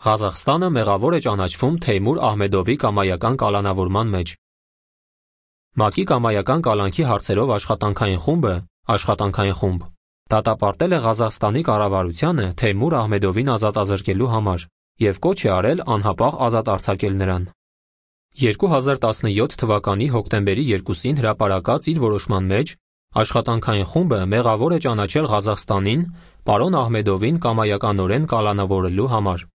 Ղազախստանը մեղավոր է ճանաչվում Թեյմուր Ահմեդովի կամայական կալանավորման մեջ։ ՄԱԿ-ի կամայական կալանքի հարցերով աշխատանքային խումբը աշխատանքային խումբ դատապարտել է Ղազախստանի կառավարությանը Թեյմուր Ահմեդովին ազատազրկելու համար և կոչ է արել անհապաղ ազատ արձակել նրան։ 2017 թվականի հոկտեմբերի 2-ին հրապարակած իր որոշման մեջ աշխատանքային խումբը մեղավոր է ճանաչել Ղազախստանին պարոն Ահմեդովին կամայականորեն կալանավորելու համար։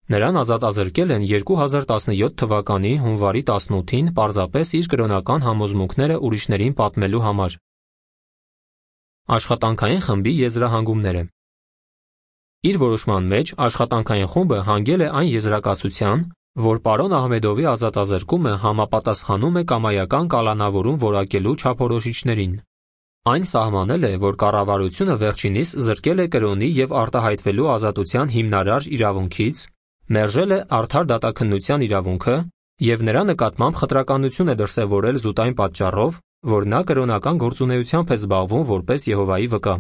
Նրան ազատազրկել են 2017 թվականի հունվարի 18-ին պարզապես իր կրոնական համոզմունքները ուրիշներին պատմելու համար։ Աշխատանքային խմբի եզրահանգումները։ Իր որոշման մեջ աշխատանքային խումբը հանգել է այն եզրակացության, որ պարոն Ահմեդովի ազատազրկումը համապատասխանում է կամայական կալանավորում որակելու չափորոշիչներին։ Այն սահմանել է, որ կառավարությունը վերջինիս զրկել է կրոնի և արտահայտվելու ազատության հիմնարար իրավունքից, մերժել է արդար դատաքննության իրավունքը և նրա նկատմամբ խտրականություն է դրսևորել զուտ այն պատճառով, որ նա կրոնական գործունեությամբ է զբաղվում որպես Եհովայի վկա։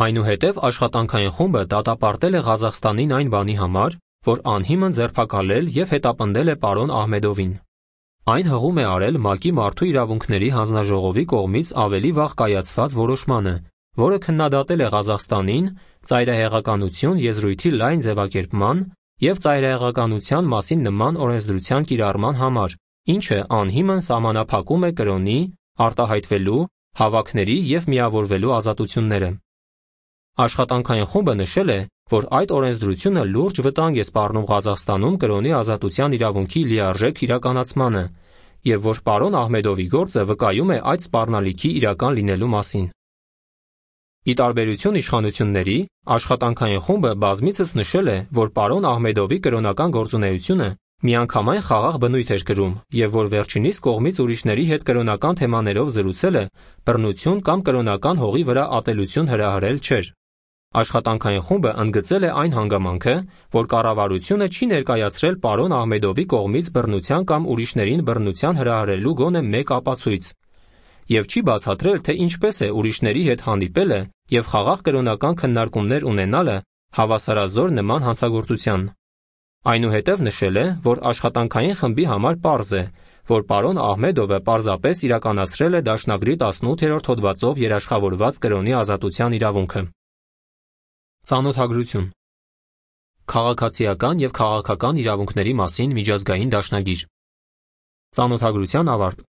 Այնուհետև աշխատանքային խումբը դատապարտել է Ղազախստանին այն բանի համար, որ անհիմն ձերբակալել և հետապնդել է պարոն Ահմեդովին։ Այն հղում է արել ՄԱԿ-ի Մարդու իրավունքների հանձնաժողովի կողմից ավելի վաղ կայացված որոշմանը, որը քննադատել է Ղազախստանին ծայրահեղականություն եզրույթի լայն ձևակերպման և ծայրահեղականության մասին նման օրենսդրության կիրառման համար, ինչը անհիմն սահմանափակում է կրոնի, արտահայտվելու, հավաքների և միավորվելու ազատությունները։ Աշխատանքային խումբը նշել է, որ այդ օրենսդրությունը լուրջ վտանգ է սպառնում Ղազախստանում կրոնի ազատության իրավունքի լիարժեք իրականացմանը և որ պարոն Ահմեդովի գործը վկայում է այդ սպառնալիքի իրական լինելու մասին։ Ի տարբերություն իշխանությունների, աշխատանքային խումբը բազմիցս նշել է, որ պարոն Ահմեդովի կրոնական գործունեությունը միանգամայն խաղաղ բնույթ էր կրում և որ վերջինիս կողմից ուրիշների հետ կրոնական թեմաներով զրուցելը բռնություն կամ կրոնական հողի վրա ատելություն հրահրել չէր։ Աշխատանքային խումբը ընդգծել է այն հանգամանքը, որ կառավարությունը չի ներկայացրել պարոն Ահմեդովի կողմից բռնության կամ ուրիշներին բռնության հրահրելու գոնե մեկ ապացույց և չի բացատրել, թե ինչպես է ուրիշների հետ հանդիպելը և խաղաղ կրոնական քննարկումներ ունենալը հավասարազոր նման հանցագործության։ Այնուհետև նշել է, որ աշխատանքային խմբի համար պարզ է, որ պարոն Ահմեդովը պարզապես իրականացրել է դաշնագրի 18-րդ հոդվածով երաշխավորված կրոնի ազատության իրավունքը։ Ծանոթագրություն։ Քաղաքացիական և քաղաքական իրավունքների մասին միջազգային դաշնագիր։ Ծանոթագրության ավարտ։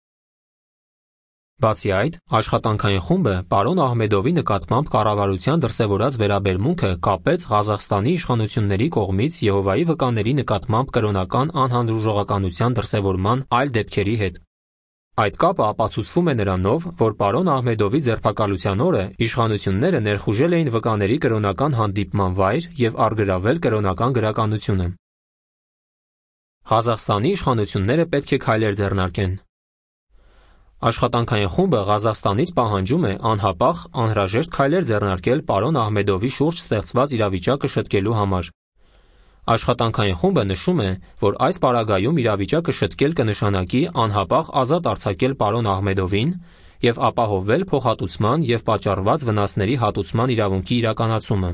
Բացի այդ, աշխատանքային խումբը պարոն Ահմեդովի նկատմամբ կառավարության դրսևորած վերաբերմունքը կապեց Ղազախստանի իշխանությունների կողմից Եհովայի վկաների նկատմամբ կրոնական անհանդուրժողականության դրսևորման այլ դեպքերի հետ։ Այդ կապը ապացուցվում է նրանով, որ պարոն Ահմեդովի ձերբակալության օրը իշխանությունները ներխուժել էին վկաների կրոնական հանդիպման վայր և առգրավել կրոնական գրականությունը։ Ղազախստանի իշխանությունները պետք է քայլեր ձեռնարկեն։ Աշխատանքային խումբը Ղազախստանից պահանջում է անհապաղ, անհրաժեշտ քայլեր ձեռնարկել պարոն Ահմեդովի շուրջ ստեղծված իրավիճակը շտկելու համար։ Աշխատանքային խումբը նշում է, որ այս պարագայում իրավիճակը շտկել կնշանակի անհապաղ ազատ արձակել պարոն Ահմեդովին և ապահովել փոխհատուցման և պատճառված վնասների հատուցման իրավունքի իրականացումը։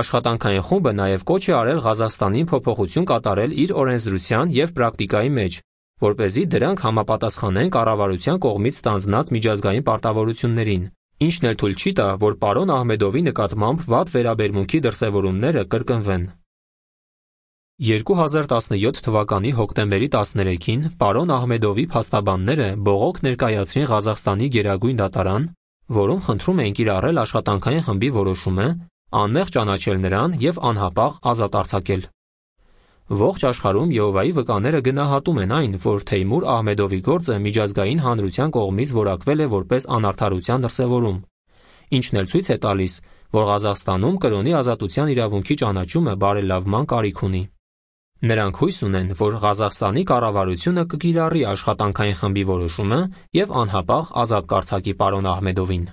Աշխատանքային խումբը նաև կոչ է արել Ղազախստանին փոփոխություն կատարել իր օրենսդրության և պրակտիկայի մեջ, որպեսզի դրանք համապատասխանեն կառավարության կողմից ստանձնած միջազգային պարտավորություններին, ինչն էլ թույլ չի տա, որ պարոն Ահմեդովի նկատմամբ վատ վերաբերմունքի դրսևորումները կրկնվեն։ 2017 թվականի հոկտեմբերի 13-ին պարոն Ահմեդովի փաստաբանները բողոք ներկայացրին Ղազախստանի գերագույն դատարան, որում խնդրում էին կիրառել աշխատանքային խմբի որոշումը, անմեղ ճանաչել նրան և անհապաղ ազատ արձակել։ Ողջ աշխարհում Եհովայի վկաները գնահատում են այն, որ Թեյմուր Ահմեդովի գործը միջազգային հանրության կողմից որակվել է որպես անարդարության դրսևորում, ինչն էլ ցույց է տալիս, որ Ղազախստանում կրոնի ազատության իրավունքի ճանաչումը բարելավման կարիք ունի։ Նրանք հույս ունեն, որ Ղազախստանի կառավարությունը կկիրառի աշխատանքային խմբի որոշումը և անհապաղ ազատ կարձակի պարոն Ահմեդովին։